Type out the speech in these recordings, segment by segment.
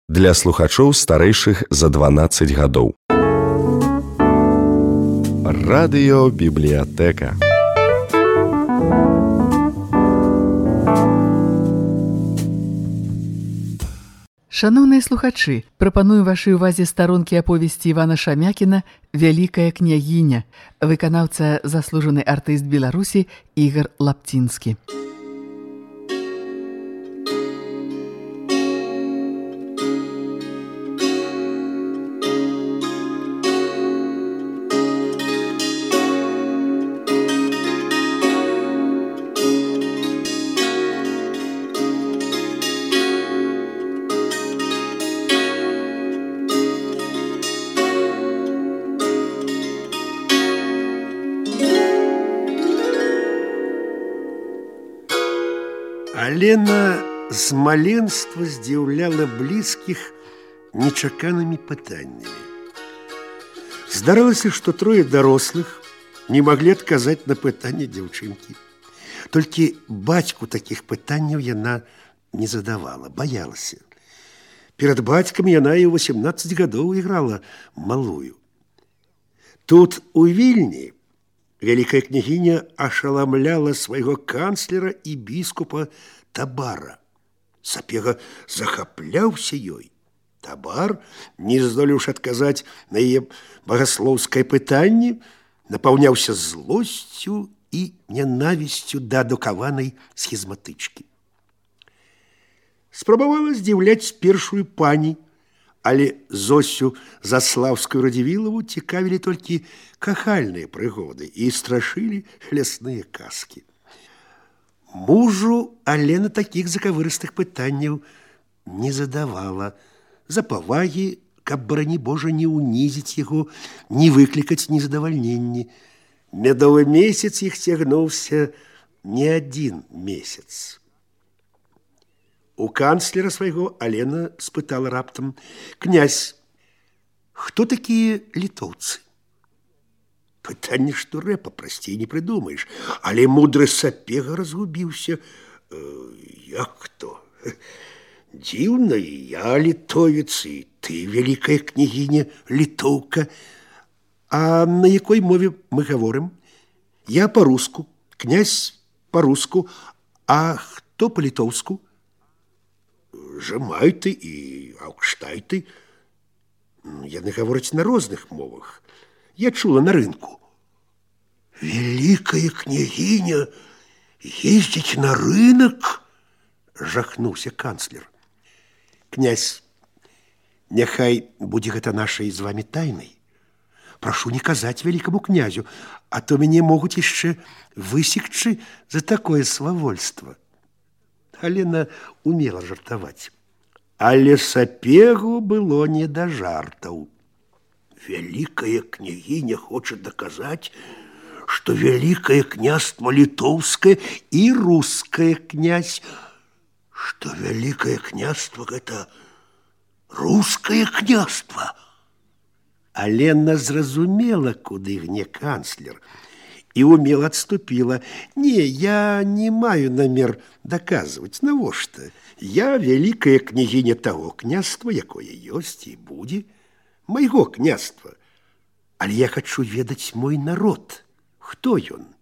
для слухачоў старэйшых за 12 гадоў. Радыёбібліятэка. Шаноўныя слухачы, прапаную вашай увазе старонкі аповесці Івана Шамякіна «Вялікая княгіня», выканаўца заслужаны артыст Беларусі Ігар Лапцінскі. Алена з маленства здзіўляла блізкіх нечаканымі пытаннямі. Здаралася, што трое дарослых не маглі адказаць на пытанне дзяўчынкі. Толькі бацьку такіх пытанняў яна не задавала, баялася. Перад бацькам яна і ў 18 гадоў іграла малую. Тут, у Вільні, вялікая княгіня ашаламляла свайго канцлера і біскупа Табара. Сапега захапляўся ёй. Табар, не здолеўшы адказаць на яе багаслоўскае пытанне, напаўняўся злосцю і нянавісцю да адукаванай схізматычкі. Спрабавала здзіўляць першую пані, але Зосю Заслаўскую Радзівілаву цікавілі толькі кахальныя прыгоды і страшылі лясныя казкі. Мужу Алена такіх закавырыстых пытанняў не задавала, за павагі, каб, барані Божа, не ўнізіць яго, не выклікаць незадавальненні. Мядовы месяц іх цягнуўся не адзін месяц. У канцлера свайго Алена спытала раптам: «Князь, хто такія літоўцы?» Пытанне, што рэпа прасцей не прыдумаеш, але мудры Сапега разгубіўся. Як то? Дзіўна, і я літовец, і ты, вялікая княгіня, літоўка. А на якой мове мы гаворым? Я па-руску, князь па-руску, а хто па-літоўску? Жамайты і аўкштайты. Яны гавораць на розных мовах. Я чула на рынку. Вялікая княгіня ездзіць на рынок? Жахнуўся канцлер. Князь, няхай будзе гэта нашай з вамі тайнай. Прашу не казаць вялікаму князю, а то мяне могуць яшчэ высекчы за такое свавольства. Алена умела жартаваць. Але Сапегу было не да жартаў. Вялікая княгіня хоча даказаць, што вялікае княства літоўскае і рускае, князь, што вялікае княства гэта рускае княства. Алена зразумела, куды гне канцлер, і умела адступіла. Не, я не маю намер даказваць, навошта? Я вялікая княгіня таго княства, якое ёсць і будзе, майго княства. Але я хачу ведаць мой народ. Хто ён?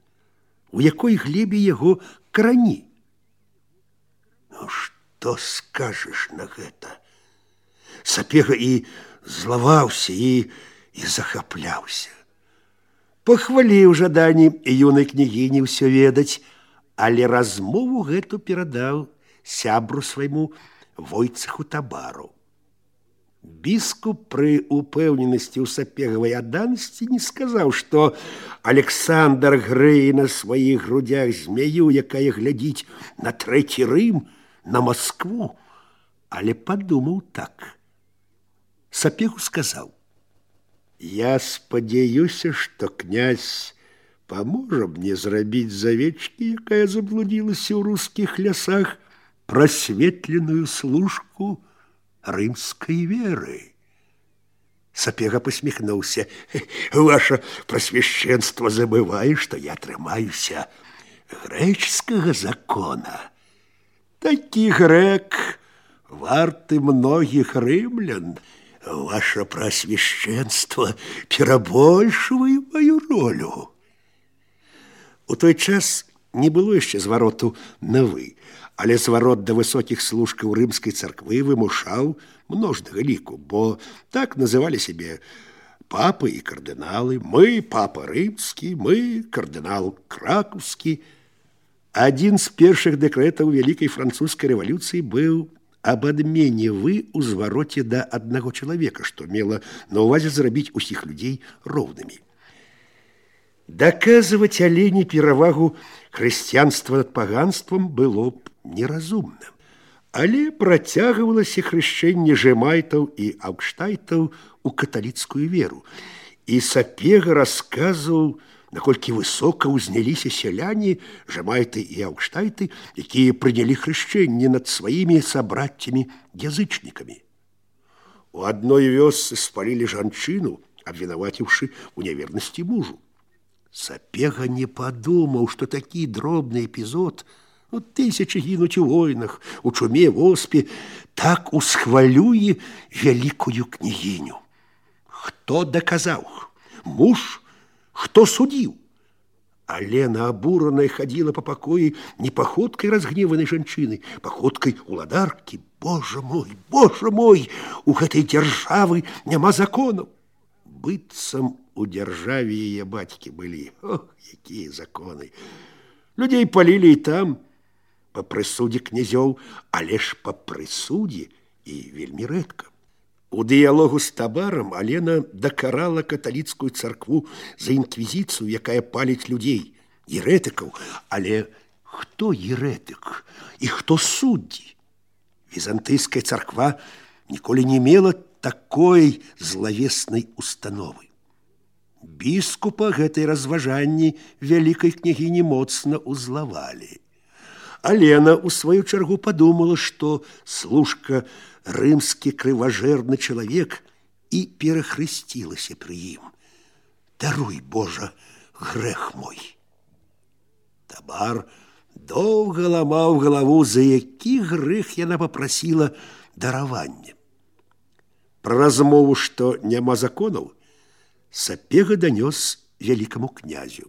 У якой глебе яго карані? Ну, што скажаш на гэта? Сапега і злаваўся, і захапляўся. Пахваліў жаданні юнай княгіні ўсё ведаць, але размову гэту перадаў сябру свайму Войцеху Табару. Біскуп пры упэўненасці ў сапегавай адданасці не сказаў, што Александр грэе на сваіх грудях змяю, якая глядзіць на трэці Рым, на Маскву, але падумаў так. Сапегу сказаў: «Я спадзяюся, што князь паможа мне зрабіць з авечкі, якая заблудзілася ў рускіх лясах, прасветленую служку рымскай веры». Сапега посміхнуўся. «Ваша прасвяшчэнства забывае, што я трымаюся грэчскага закона. Такі грэк варты многих рымлян. Ваше просвященство перабольшвае мою ролю. У той час не было яшчэ звароту на «вы», але зварот да высокіх служкаў рымскай царквы вымушаў множнага ліку, бо так называлі сябе папы і кардыналы. Мы папа рымскі, мы кардынал кракаўскі. Адзін з першых дэкрэтаў вялікай французскай рэвалюцыі быў об адмене «вы» у звароце да аднаго чалавека, што мела на ўвазе зрабіць усіх людзей роўнымі. Даказваць Алене перавагу хрысціянства над паганствам было б неразумна. Але працягвалася хрышчэнне жэмайтаў і аўгштайтаў у каталіцкую веру. І Сапега расказваў, наколькі высока ўзняліся сяляне, жэмайты і аўгштайты, якія прынялі хрышчэнне над сваімі сабраццямі-язычнікамі. У адной вёсцы спалілі жанчыну, абвінаваціўшы ў нявернасці мужу. Сапега не падумаў, што такі дробны эпізод, тысячы гінуць у войнах, у чуме, воспе, так усхвалюе вялікую княгіню. Хто даказаў? Муж? Хто судзіў? Алена, абураная, хадзіла па пакоі не паходкай разгневанай жанчыны, паходкай уладаркі. Божа мой, у гэтай дзяржавы няма законаў. Быццам у дзяржаве яе бацькі былі. Ох, якія законы! Людзей палілі і там, па прысудзе князёў, але ж па прысудзе і вельмі рэдка. У дыялогу з Табарам Алена дакарала каталіцкую царкву за інквізіцыю, якая паліць людзей, ерэтыкаў. Але хто ерэтык і хто суддзі? Візантыйская царква ніколі не мела такой злавеснай установы. Біскупа гэтай разважанні вялікай княгіні моцна ўзлавалі. Алена, у сваю чаргу, падумала, што служка рымскі крыважэрны чалавек і перахрысцілася пры ім. Даруй, Божа, грэх мой. Табар доўга ламаў галаву, за які грэх яна папрасіла даравання. Пра размову, што няма законаў, Сапега данёс вялікаму князю.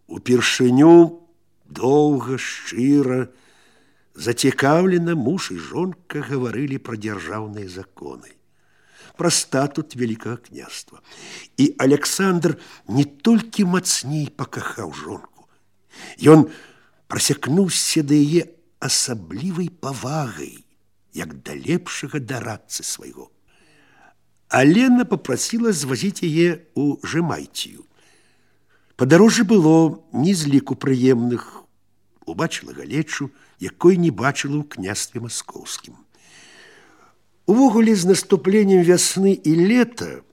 Упершыню доўга, шчыра, зацікаўлена муж і жонка гаварылі пра дзяржаўныя законы, пра статут вялікага княства. І Александр не толькі мацней пакахаў жонку, ён прасякнуўся да яе асаблівай павагай, як да лепшага дарадцы свайго. Алена папрасіла звазіць яе ў Жэмайцію. Падарожжа было не з ліку прыемных. Убачыла галечу, якой не бачыла ў княстве маскоўскім. Увогуле, з наступленнем вясны і лета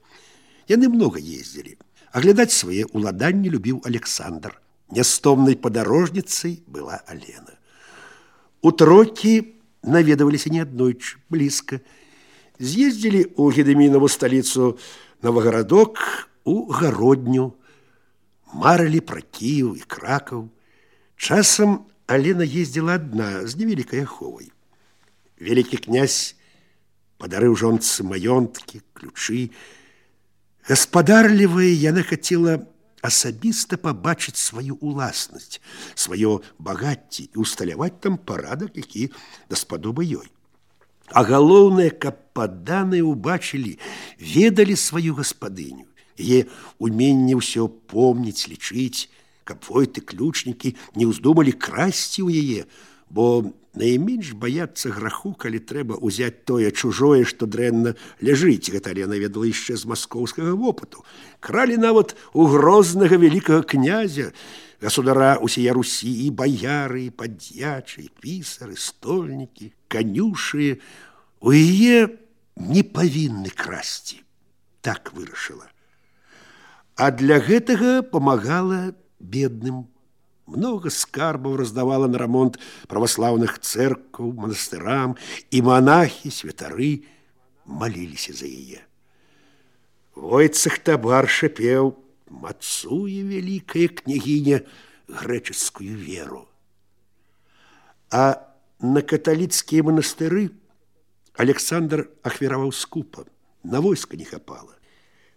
яны многа ездзілі. Аглядаць свае ўладанні любіў Александр. Нястомнай падарожніцай была Алена. У Трокі наведаваліся неаднойчы, блізка. З'ездзілі ў Гедэмінаву сталіцу Новагарадок, у Гародню, марылі пра Кіеў і Кракаў. Часам Алена ездзіла адна з невялікай аховай. Вялікі князь падарыў жонцы маёнткі, ключы. Гаспадарлівая яна хацела асабіста пабачыць сваю уласнасць, сваё багацце і усталяваць там парадак, які даспадобы ёй. А галоўнае, каб падданыя ўбачылі, ведалі сваю гаспадыню, яе уменне ўсё помніць, лічыць, каб войты, ключнікі не ўздумалі красці ў яе, бо найменш баяцца граху, калі трэба ўзяць тое чужое, што дрэнна ляжыць. Гэта Алена ведала яшчэ з маскоўскага вопыту. Кралі нават у грознага вялікага князя, государа усія Русі, і баяры, і паддзячы, і пісары, стольнікі, канюшы. У яе не павінны красці. Так вырашыла. А для гэтага памагала бедным. Много скарбаў раздавала на рамонт праваслаўных цэркваў, манастырам, і монахі, святары маліліся за яе. Войцах Табар шапеў: мацуе вялікая княгіня грэчаскую веру. А на каталіцкія манастыры Александр ахвяраваў скупа, на войска не хапала.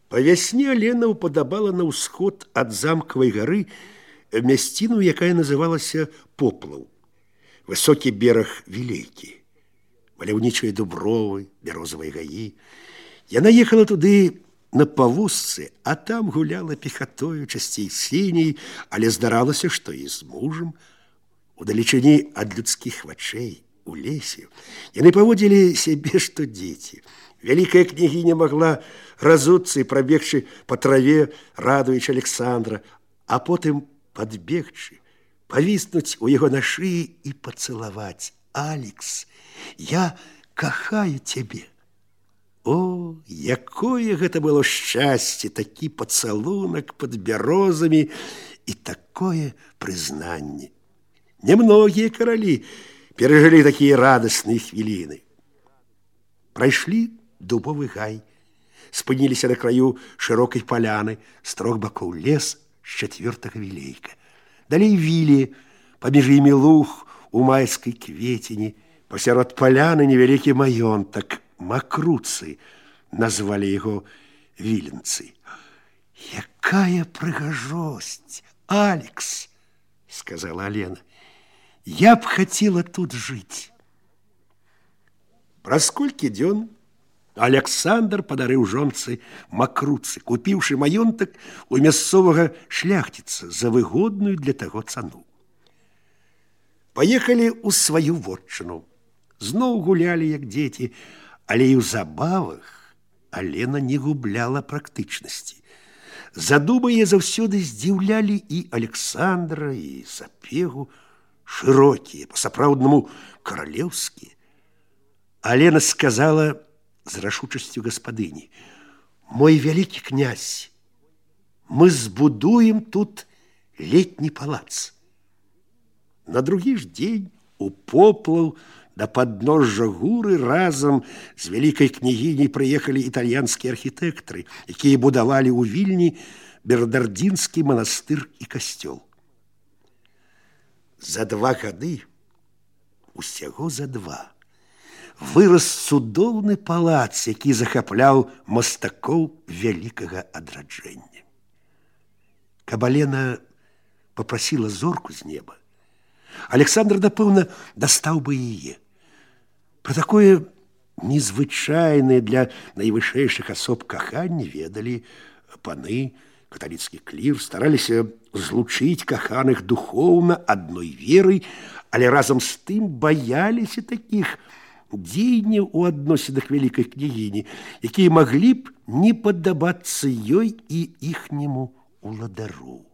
Па вясне Алена ўпадабала на ўсход ад замкавай гары мясціну, якая называлася Поплаў. Высокі бераг Вілейкі, маляўнічыя дубровы, бярозавыя гаі. Яна ехала туды на павозцы, а там гуляла пехатою, часцей сіняй, але здаралася, што і з мужам. Удалечыні ад людскіх вачэй, у лесе, яны паводзілі сябе, што дзеці. Вялікая княгіня магла разуцца і прабегчы па траве, радуючы Александра, а потым падбегчы, павіснуць у яго на шыі і пацалаваць. «Алекс, я кахаю цябе». О, якое гэта было шчасце, такі пацалунак пад бярозамі і такое прызнанне. Немногія каралі перажылі такія радасныя хвіліны. Прайшлі дубовы гай, спыніліся на краю шырокай паляны, з трох бакоў лес, з чацвёртага вілейка. Далей вілі, паміж імі луг у майскай кветені, пасярод паляны невялікі маёнтак, Макруцы, назвалі яго віленцы. «Якая прыгажосць, Алекс!» – сказала Алена. «Я б хацела тут жыць». Праз колькі дзён Александр падарыў жонцы Макруцы, купіўшы маёнтак у мясцовага шляхціца за выгодную для таго цану. Паехалі ў сваю вотчыну. Зноў гулялі, як дзеці, але і ў забавах Алена не губляла практычнасці. Задумы яе заўсёды здзіўлялі і Александра, і Сапегу, шырокія, па-сапраўднаму каралеўскія. Алена сказала з рашучасцю гаспадыні: «Мой вялікі князь, мы збудуем тут летні палац». На другі ж дзень у Поплаў да падножжа гуры разам з вялікай княгіняй прыехалі італьянскія архітэктары, якія будавалі ў Вільні бернардзінскі манастыр і касцёл. За 2 гады, усяго за 2, вырас цудоўны палац, які захапляў мастакоў вялікага адраджэння. Каб Алена папрасіла зорку з неба, Александр, напэўна, дастаў бы яе. Пра такое незвычайнае для найвышэйшых асоб каханне ведалі паны, каталіцкі клір, стараліся злучыць каханых духоўна адной верай, але разам з тым баяліся такіх дзеянняў у адносінах вялікай княгіні, якія маглі б не падабацца ёй і іхняму уладару.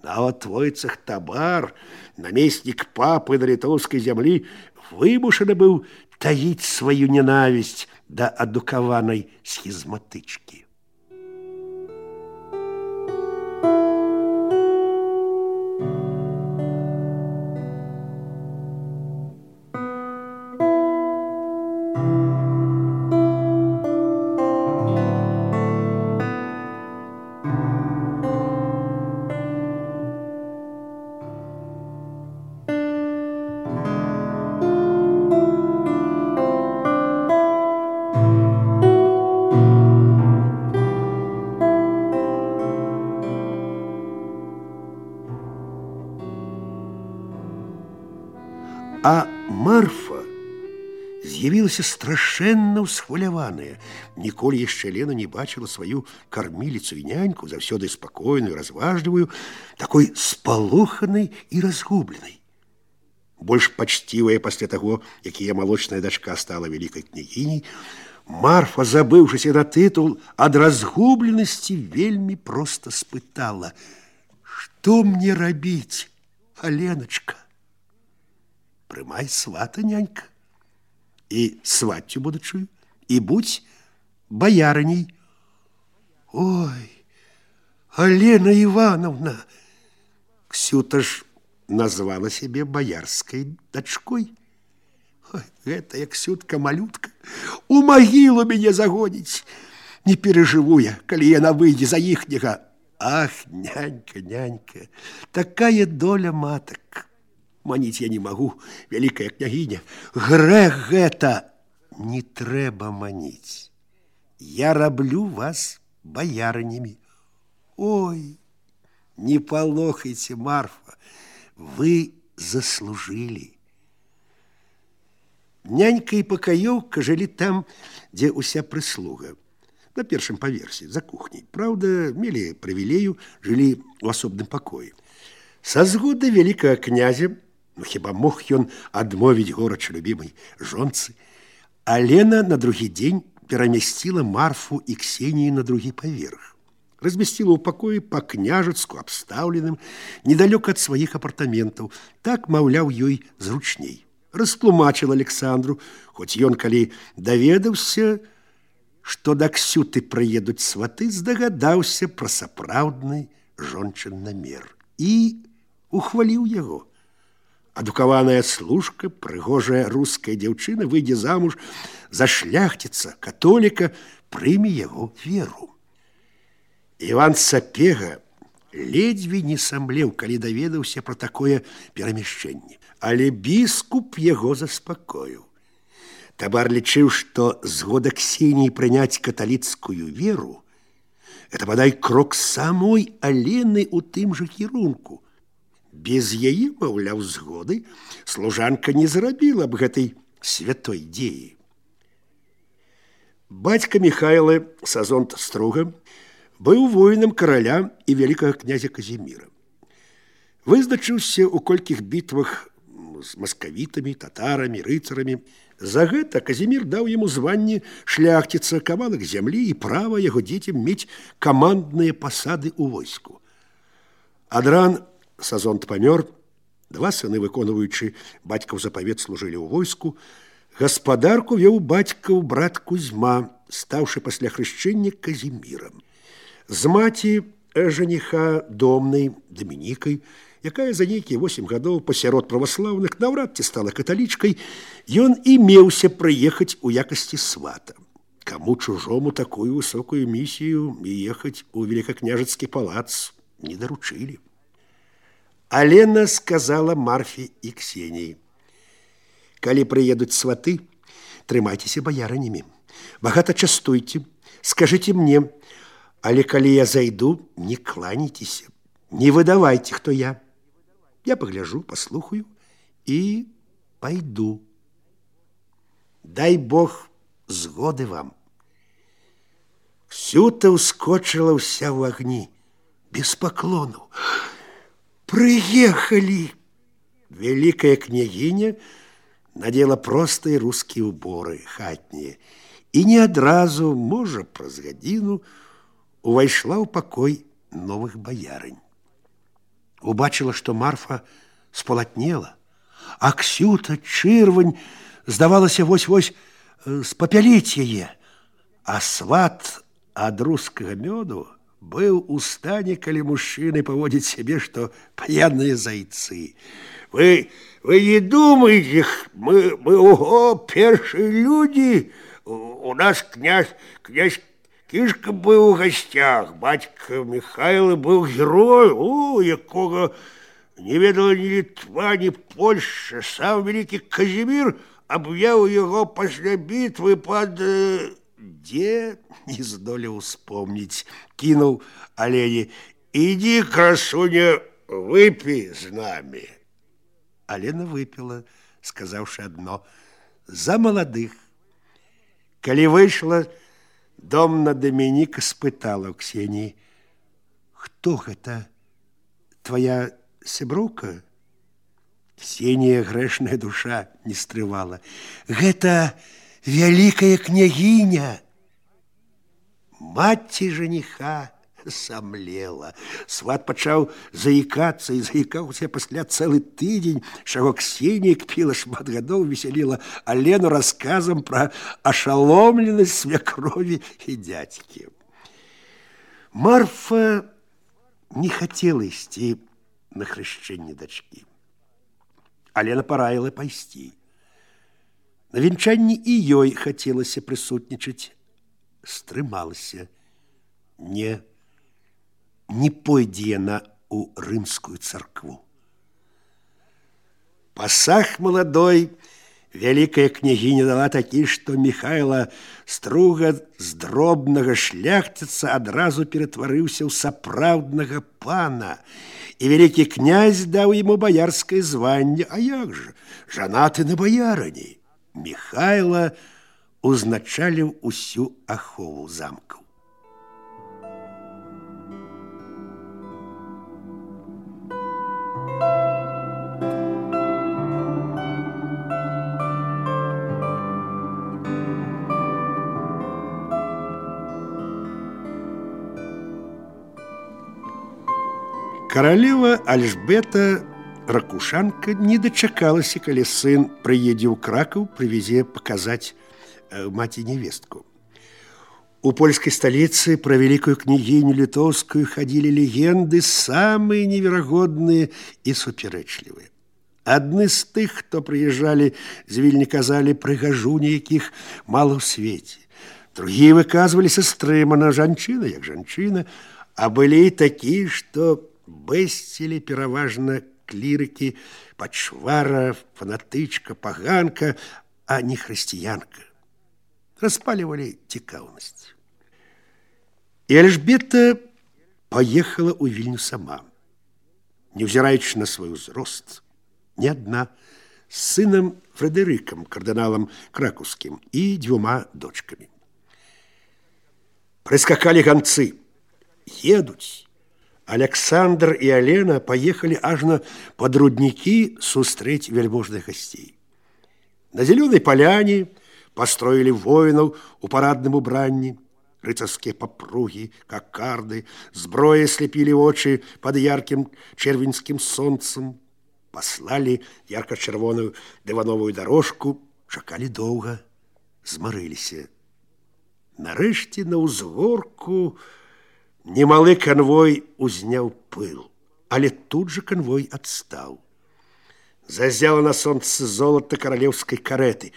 Нават Войцах Табар, намеснік папы на літоўскай зямлі, вымушаны быў таіць сваю ненавісць да адукаванай схізматычкі. А Марфа з'явілася страшэнна ўсхваляваная. Ніколі яшчэ Лена не бачыла сваю карміліцу і няньку, заўсёды спакойную, разважлівую, такой спалоханай і разгубленай. Больш пачцівая пасля таго, як яе малочная дачка стала вялікай княгіняй, Марфа, забыўшыся на тытул, ад разгубленасці вельмі проста спытала: «Што мне рабіць, Аленачка?» «Прымай свата, нянька, і сваццю будучую, і будзь баярыней». «Ой, Алена Івановна!» Ксюта ж назвала сябе баярскай дачкой. «Ой, гэтая Ксютка-малютка у магілу мяне загоніць. Не перажыву я, калі яна выйдзе за іхняга». «Ах, нянька, нянька, такая доля матак. маніць я не магу, вялікая княгіня. Грэх гэта. Не трэба маніць. Я раблю вас боярынямі. Ой, не палохайце, Марфа, вы заслужили. Нянька і пакаёўка жылі там, дзе ўся прыслуга. На першым паверсе, за кухняй. Праўда, мелі прывілею, жылі ў асобным пакоі. Са згоды вялікага князя, хіба мог ён адмовіць горача любімай жонцы, Алена на другі дзень перамясціла Марфу і Ксенію на другі паверх. Размясціла ў пакоі па-княжацку абстаўленым, недалёка ад сваіх апартаментаў. Так, маўляў, ёй зручней. Растлумачыла Александру, хоць ён, калі даведаўся, што да Ксюты прыедуць сваты, здагадаўся пра сапраўдны жончын намер і ухваліў яго. Адукаваная служка, прыгожая руская дзяўчына выйдзе замуж за шляхціца, католіка, прыме яго веру. Іван Сапега ледзьве не самлеў, калі даведаўся пра такое перамяшчэнне. Але біскуп яго заспакоіў. Табар лічыў, што згода Ксеніі прыняць каталіцкую веру – это, бадай, крок самой Алены ў тым жа кірунку. Без яе, маўляў, згоды служанка не зрабіла б гэтай святой дзеі. Бацька Міхайла Сазонт Струга быў воінам караля і вялікага князя Казіміра. Вызначыўся ў колькіх бітвах з маскавітамі, татарамі, рыцарамі. За гэта Казімір даў яму званне шляхціца, кавалак зямлі і права яго дзецям мець камандныя пасады ў войску. Ад ран Сазонт памёр, два сыны, выконваючы бацькаў запавет, служылі ў войску. Гаспадарку вёў бацькаў брат Кузьма, стаўшы пасля хрышчэння Казімірам. З маці жаніха Домнай, Дамінікай, якая за нейкія 8 гадоў пасярод праваслаўных наўрад ці стала каталічкай, ён і меўся прыехаць у якасці свата. Каму чужому такую высокую місію ехаць у великакняжацкі палац не даручылі. Алена сказала Марфе і Ксеніі: калі прыедуць сваты, трымайцеся баярынямі, багата частуйце, скажыце мне, але калі я зайду, не кланяйцеся, не выдавайце, хто я. Я погляжу, послухаю и пойду. Дай Бог згоды вам. Ксюта ускочила вся в огни, без поклону. Приехали! Великая княгиня надела простые русские уборы, хатние, и не адразу, можа, праз гадзіну, увайшла ў пакой новых баярынь. Убачила, што Марфа сполатнела, а Ксюта, чырвань, здавалася вось-вось спапяліць яе, а сват ад рускага мёду быў у стане, калі мужчыны паводзяць сябе, што п'яныя зайцы. Вы не думаете, мы першие люди, у нас князь Кішка был у гостях, батька Михайло был герой, якого не ведала ни Литва, ни Польша. Сам великий Казимир объявил его после битвы под... Где? Не здолел вспомнить. Кинул Олене: иди, красуня, выпей с нами. Алена выпила, сказавши одно: за молодых. Коли вышла, Домна Дамініка спытала ў Ксеніі: хто гэта? Твоя сяброўка? Ксенія, грэшная душа, не стрывала: гэта вялікая княгіня. Маці жаніха самлела. Сват пачаў заікацца і заікаўся пасля цэлы тыдзень, чаго Ксенія кпіла шмат гадоў, весяліла Алену расказам пра ашаломленасць свякрові і дзядзькі. Марфа не хацела ісці на хрышчэнне дачкі. Алена параіла пайсці. На венчанні і ёй хацелася прысутнічаць. Стрымалася. Не пойдзе яна ў рымскую царкву. Пасаг маладой вялікая княгіня дала такі, што Міхайла Струга з дробнага шляхціца адразу ператварыўся ў сапраўднага пана. І вялікі князь даў яму баярскае званне. А як жа? Жанаты на баярыні. Міхайла узначаліў усю ахову замкаў. Каралева Альжбета Ракушанка не дачакалася, калі сын прыедзе ў Кракаў, прывезе паказаць маці невестку. У польскай сталіцы пра вялікую княгіню літоўскую хадзілі легенды самыя неверагодныя і супярэчлівыя. Адны з тых, хто прыязджалі з Вільні, казалі, прыгажуні якіх мала ў свеце. Другія выказваліся стрымана, жанчына як жанчына, а былі і такія, што бэсцілі пераважна клірыкі, пачвара, фанатычка, паганка, а не хрысціянка. Распалівалі цікаўнасць. І Альжбета паехала ў Вільню сама, невзіраючы на свой узрост, не адна, з сынам Фрэдэрыкам, кардыналам кракаўскім, і 2 дочкамі. Прыскакалі ганцы. Едуць. Александр і Алена паехалі ажно пад руднікі сустрэць вяльможных гасцей. На зялёнай паляне пастроілі воінаў у парадным убранні, рыцарскія папругі, какарды, зброя слепілі вочы пад яркім чэрвеньскім сонцам, паслалі ярка-чырвоную дывановую дарожку, чакалі доўга, змарыліся. Нарэшце на ўзгорку немалы канвой узняў пыл, але тут жа канвой адстаў. Зазяла на сонцы золата каралеўскай карэты.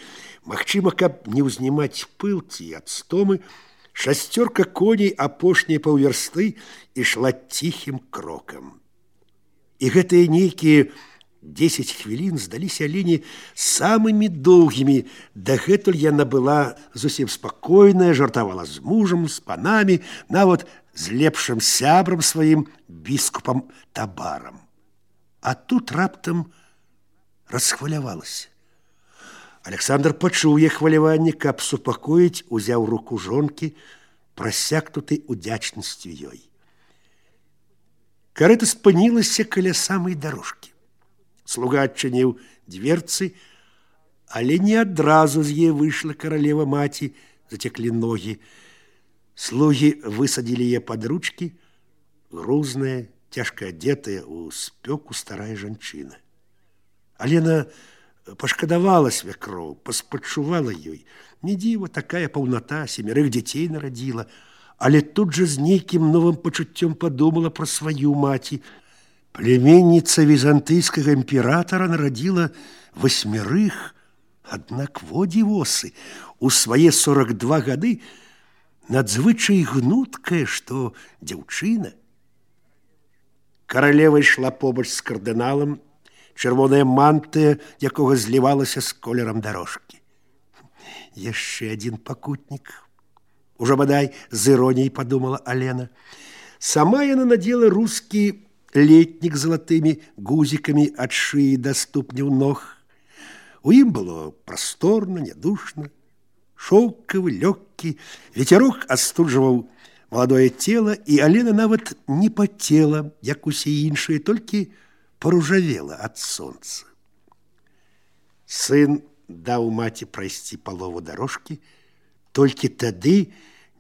Магчыма, каб не ўзнімаць пыл ці ад стомы, 6 коней апошняй паўвярсты ішла ціхім крокам. І гэтыя нейкія 10 хвілін здаліся Алене самымі доўгімі. Дагэтуль яна была зусім спакойная, жартавала з мужам, з панамі, нават з лепшым сябрам сваім біскупам Табарам. А тут раптам расхвалявалася. Александр пачуў яе хваляванне, каб супакоіць, узяў руку жонкі, прасякнутай удзячнасцю ёй. Карэта спынілася каля самай дарожкі. Слуга адчыніў дверцы, але не адразу з яе выйшла каралева маці, зацеклі ногі. Слугі высадзілі яе пад ручкі, грузная, цяжка адетая ў спёку старая жанчына. Алена пашкадавала свякроў, паспачувала ёй. Не дзіва, такая паўната, 7 дзяцей нарадзіла, але тут жа з нейкім новым пачуццём падумала пра сваю маці. Племенніца візантыйскага імператара нарадзіла 8, аднак во дзівосы, у свае 42 гады надзвычай гнуткая, што дзяўчына. Каралева ішла побач з кардыналам, чырвоная мантыя, якога злівалася з колерам дарожкі. Яшчэ адзін пакутнік. Ужо бадай з іроніяй падумала Алена. Сама яна надзела рускі летнік з залатымі гузікамі ад шыі да ступняў ног. У ім было прасторна, нядушна, шоўкавы, лёгкі, ветерок астуджваў маладое цела, і Алена нават не пацела, як усе іншыя, толькі паружавела ад сонца. Сын даў маці прайсці палову дарожкі, толькі тады,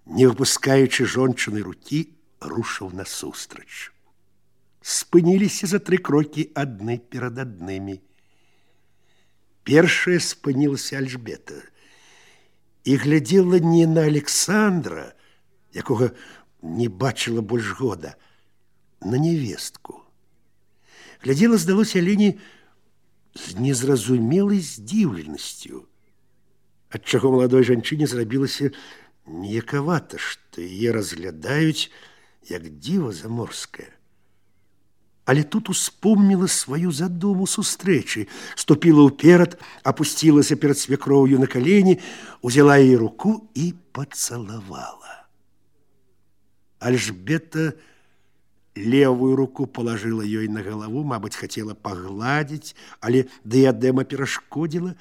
не выпускаючы жончыны рукі, рушыў насустрач. Спыніліся за 3 крокі адны перад аднымі. Першая спынілася Альжбета і глядзела не на Александра, якога не бачыла больш года, на невестку. Глядзела, здалося Алене, з незразумелай здзіўленасцю, адчаго маладой жанчыне зрабілася неякавата, што яе разглядаюць як дзіва заморскае. Але тут успомніла сваю задуму сустрэчы, ступіла ўперад, апусцілася перад свекроўю на калені, узяла яе руку і пацалавала. Альжбета левую руку палажыла ёй на галаву, мабыць, хацела пагладзіць, але дыядэма перашкодзіла.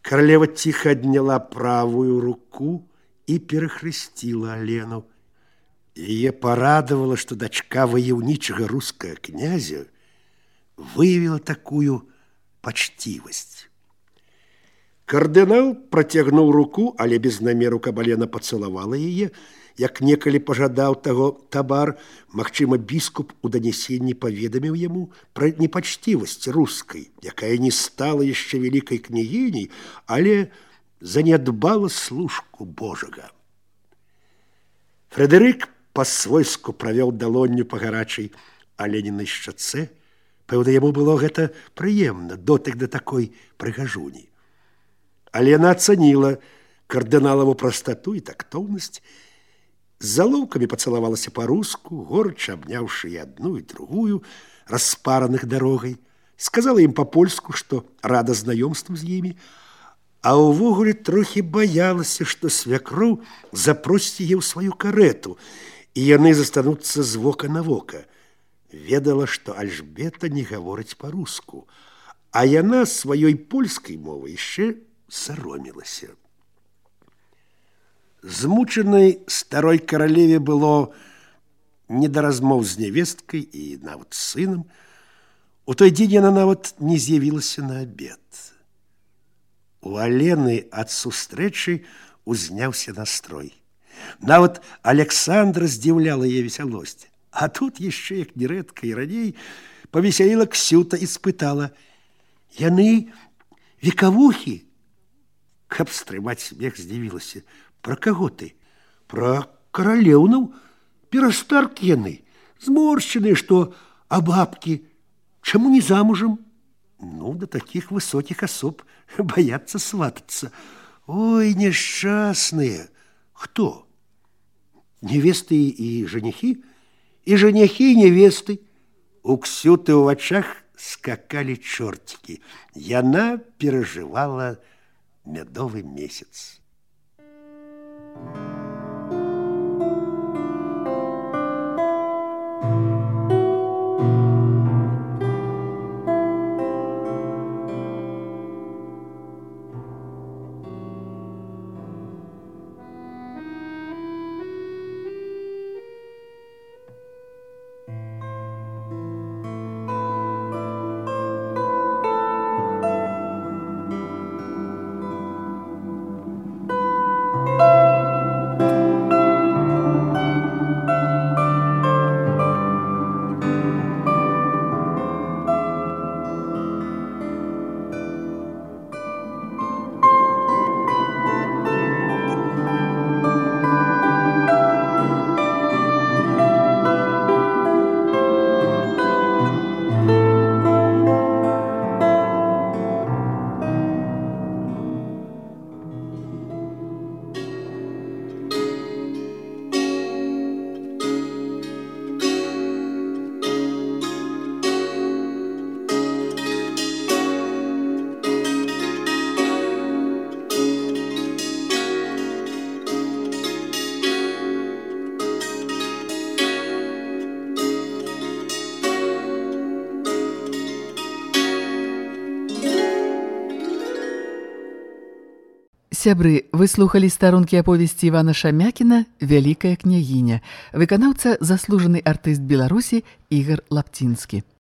Каралева ціха адняла правую руку і перахрысціла Алену. Яе парадавала, што дачка ваяўнічага рускага князя выявіла такую пачцівасць. Кардынал працягнуў руку, але без намеру, каб Алена пацалавала яе, як некалі пажадаў таго табар. Магчыма, біскуп у данесенні паведаміў яму пра непачцівасць рускай, якая не стала яшчэ вялікай княгіняй, але занядбала служку Божага. Фрэдэрык па-свойску правёў далонню па гарачай Аленінай шчацэ. Пэўна, яму было гэта прыемна, дотык да такой прыгажуні. Алена ацаніла кардыналаву прастату і тактоўнасць, з залоўкамі пацалавалася па-руску, горача абняўшы і адну, і другую, распараных дарогай. Сказала ім па-польску, што рада знаёмству з імі, а ўвогуле трохі баялася, што свякроў запросіць яе ў сваю карэту, і яны застануцца з вока на вока. Ведала, што Альжбета не гаворыць па-руску, а яна сваёй польскай мовай яшчэ саромілася. Змучанай старой каралеве было не да размоў з нявесткай і нават з сынам. У той дзень яна нават не з'явілася на абед. У Алены ад сустрэчы узняўся настрой. Нават Александра здзіўляла яе весялосць. А тут яшчэ, як нерэдка і раней, павесяліла Ксюта і спытала: «Яны векавухі?» Каб стрымаць смех, здзівілася: «Пра каго ты?» «Пра каралеўнаў. Перастаркі яны, зморшчаныя, што абабкі. Чаму не замужам?» «Ну, да такіх высокіх асоб баяцца сватацца». «Ой, няшчасныя!» «Хто?» «Невесты і жанихі?» «І жанихі, і невесты». У Ксюты ў вачах скакалі чортики. Яна перажывала мядовы месяц. Сябры, вы слухалі старонкі аповесці Івана Шамякіна «Вялікая княгіня». Выканаўца заслужаны артыст Беларусі Ігар Лапцінскі.